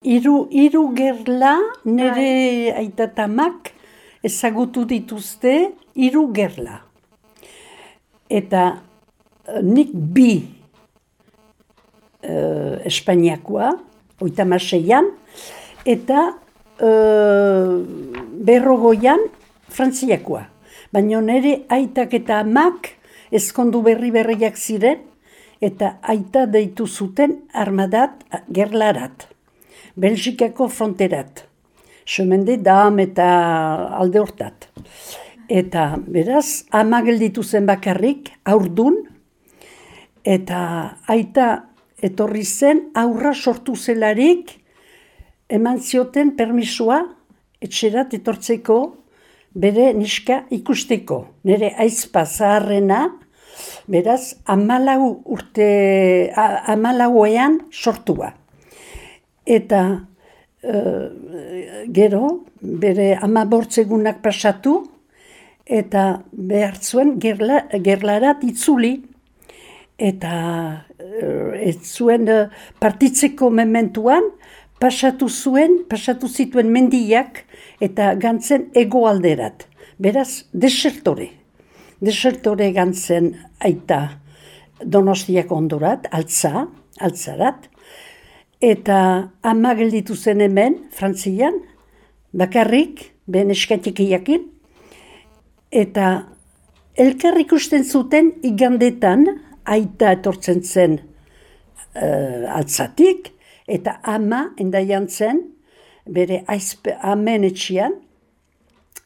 Hiru gerla nire aitatamak ezagutu dituzte 3 gerla. Eta nik 2 Espainiakoa, 36an, eta 50an Frantziakoa. Baina nire aitak eta amak ezkondu berriak ziren, eta aita deitu zuten armadat gerlarat. Belgikako fronterat. Chemin des Dames eta alde hortat. Eta beraz, ama gelditu zen bakarrik, haurdun, eta aita etorri zen, aurra sortu zelarik, eman zioten permisua, etxerat etortzeko, bere neska ikusteko. Nire aizpa zaharrena, beraz, 14ean sortua. Eta gero, bere 15 egunak pasatu, eta behar zuen gerlarat itzuli. Eta ez zuen partitzeko mementuan, pasatu zituen mendiak, eta gantzen hegoalderat. Beraz, desertore gantzen aita Donostiako ondorat, altzarat, eta ama gelditu zen hemen, Frantzian, bakarrik, behen eskatikiakin, eta elkar ikusten zuten igandetan, aita etortzen zen altzatik, eta ama endaian zen, bere amen etxian,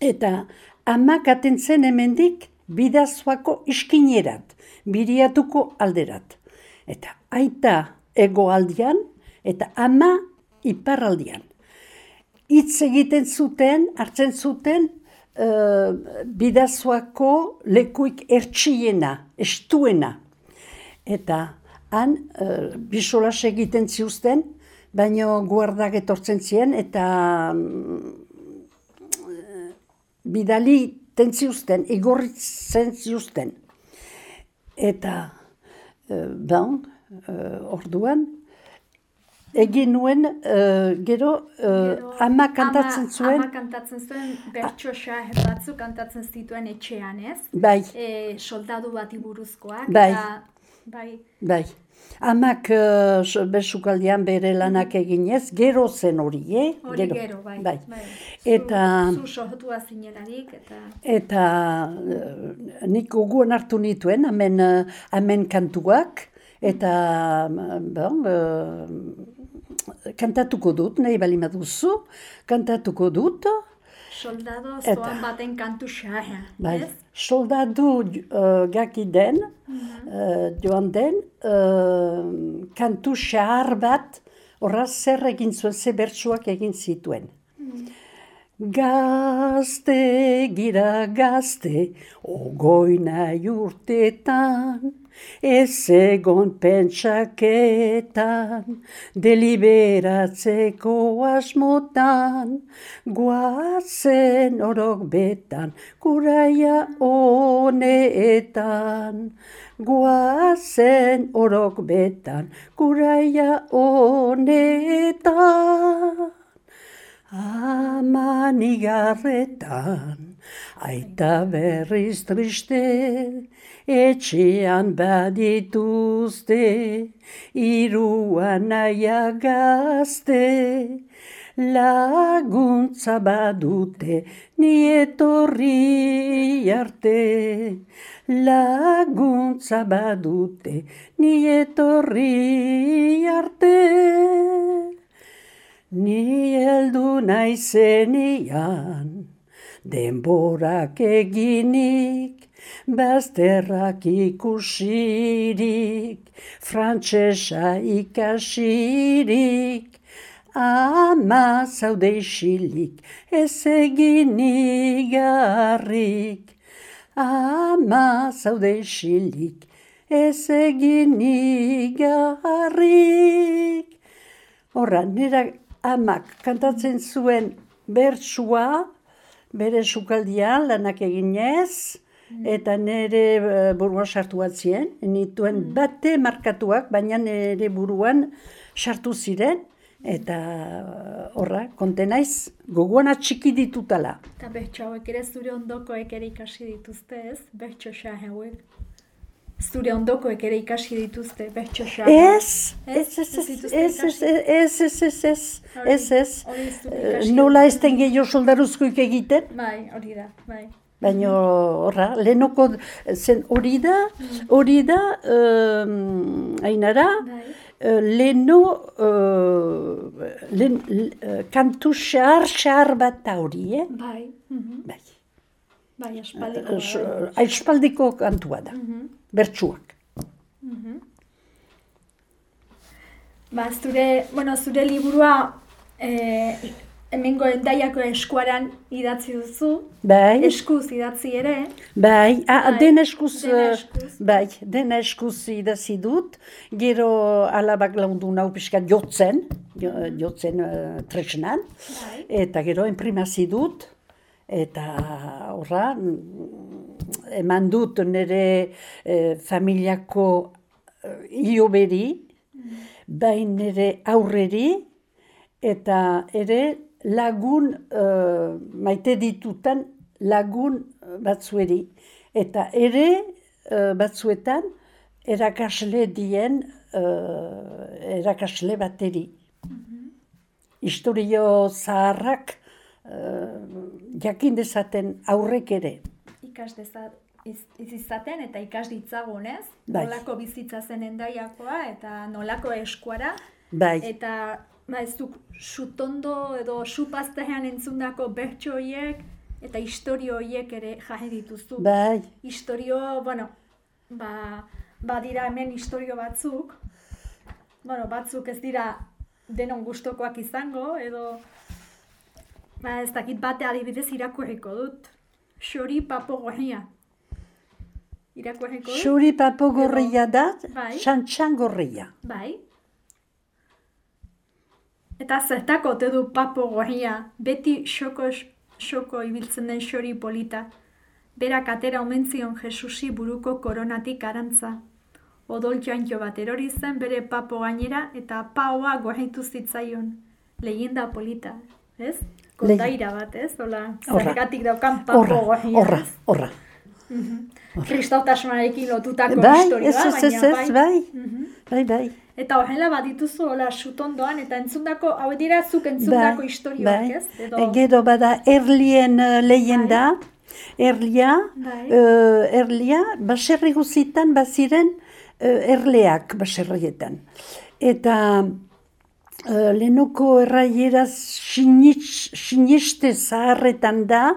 eta ama katen zen hemendik Bidasoako iskinerat, Biriatuko alderat. Eta aita hegoaldean, eta ama iparraldean. Hitz egiten zuten, hartzen zuten, Bidasoako lekuik ertsiena, estuena. Eta han, bisolas egiten ziuzten, baino guardak etortzen ziren, eta bidali ziuzten, igorritzen ziuzten. Eta, orduan, egin nuen, gero, ama kantatzen zuen. Ama kantatzen zuen, bertso batzuk kantatzen zituen etxean, ez? Bai. Soldadu bati buruzkoak. Bai. Bai. Amak bersukaldian bere lanak eginez, gero zen hori, Gero, bai. Eta... Zu sohotua zinelarik, eta... Eta nik gogoan hartu nituen, amen kantuak, eta kantatuko dut, nahi bali maduzu, kantatuko dut. Soldado zoan baten kantu xaha, ez? Soldadu gaki den, joan den, kantu xahar bat, horra zer egin zuen, ze bertsuak egin zituen. Gazte, gira gazte, ogoi nahi urtetan, ez egon pentsaketan, deliberatzeko asmotan, guazen orok betan, kuraia honetan. Guazen orok betan, kuraia honetan. Aman igarretan, aita berriz triste, etxean badituzte, 3 anaia gazte, laguntza badute, ni etorri arte. Laguntza badute, ni etorri arte. Ni heldu naizenian, denborak eginik, bazterrak ikusirik, frantsesa ikasirik, ama zaude isilik, ez egin igarrik. Ama zaude isilik, ez egin igarrik. Horra, nera amak kantatzen zuen bertsua, bere sukaldian lanak eginez, eta nire buruan sartu batzien, nituen bate markatuak, baina nire buruan sartu ziren, Eta horra, konten naiz, gogoan atxiki ditutala. Eta bertso hauek ere zure ondokoek ere ikasi dituzte, ez? Bertso xahe hauek. Zure ondokoek ere ikasi dituzte, bertso xahe. Ez. Nola ez den gehiago soldaruzkoik egiten? Bai, hori da, bai. Baina horra, lehenoko zen hori da, Ainara, leheno kantu xahar bat da hori, Bai. Bai. Bai, aspaldiko. Aspaldiko kantua da, bertsuak. Ba, zure liburua hemengo Hendaiako eskuaran idatzi duzu. Bai. Eskuz idatzi ere. Bai, den eskuz idatzi dut. Gero alabak laundu nau pixkat jotzen tresnan. Bai. Eta gero enprimazi dut. Eta horra, eman dut nire familiako hioberi, bai nire aurreri, eta ere lagun maite ditutan lagun batzueri. Eta ere batzuetan erakasle dien erakasle bateri. Historio zaharrak jakin dezaten aurrek ere. Ikas izaten eta ikas ditzagun, ez? Bai. Nolako bizitza zen Hendaiakoa eta nolako eskuara. Bai. Eta ez duk sutondo edo supaztean entzundako bertso horiek eta historio horiek ere jahe dituzu. Bai. Historio, badira hemen historio batzuk. Batzuk ez dira denon gustokoak izango edo ez dakit bate adibidez irakurriko dut. Xori papo gorria. Irakurriko dut? Xori papo gorria da, Bai. xantxan gorria. Bai. Eta zertako ote du papo gorria, beti xoko ibiltzen den xori polita. Berak atera omen zion Jesusi buruko koronatik arantza. Odol jantxo bat erori zen bere papo gainera eta paoa gorritu zitzaion. Leyenda polita, ez? Kondaira bat, ez? Zergatik daukan papo gorria. Horra. Kristautasunarekin lotutako historioa, baina bai. Eta horrela bat dituzu, sutondoan, eta entzundako, hau dira zuk entzundako historioak, ez? Gero bada Erlien leyenda, Erlia, baserri guzitan baziren erleak baserrietan. Eta lehenoko erraieraz siniste zaharretan da,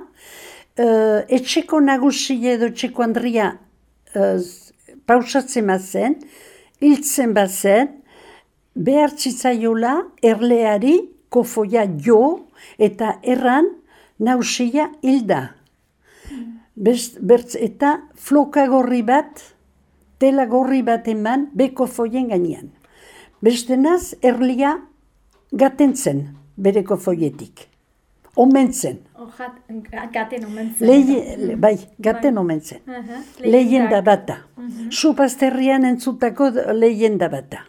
etxeko nagusi edo etxeko andria pausatzen bazen, hiltzen bazen, behar zitzaiola erleari kofoia jo eta erran nagusia hilda. Eta floka gorri bat, tela gorri bat eman beko foien gainean. Bestenaz, erlia gatentzen bereko foietik. Omentzen. Gaten omentzen. Bai, gaten omentzen. Leyenda bata. Supazterrian entzutako leyenda bata.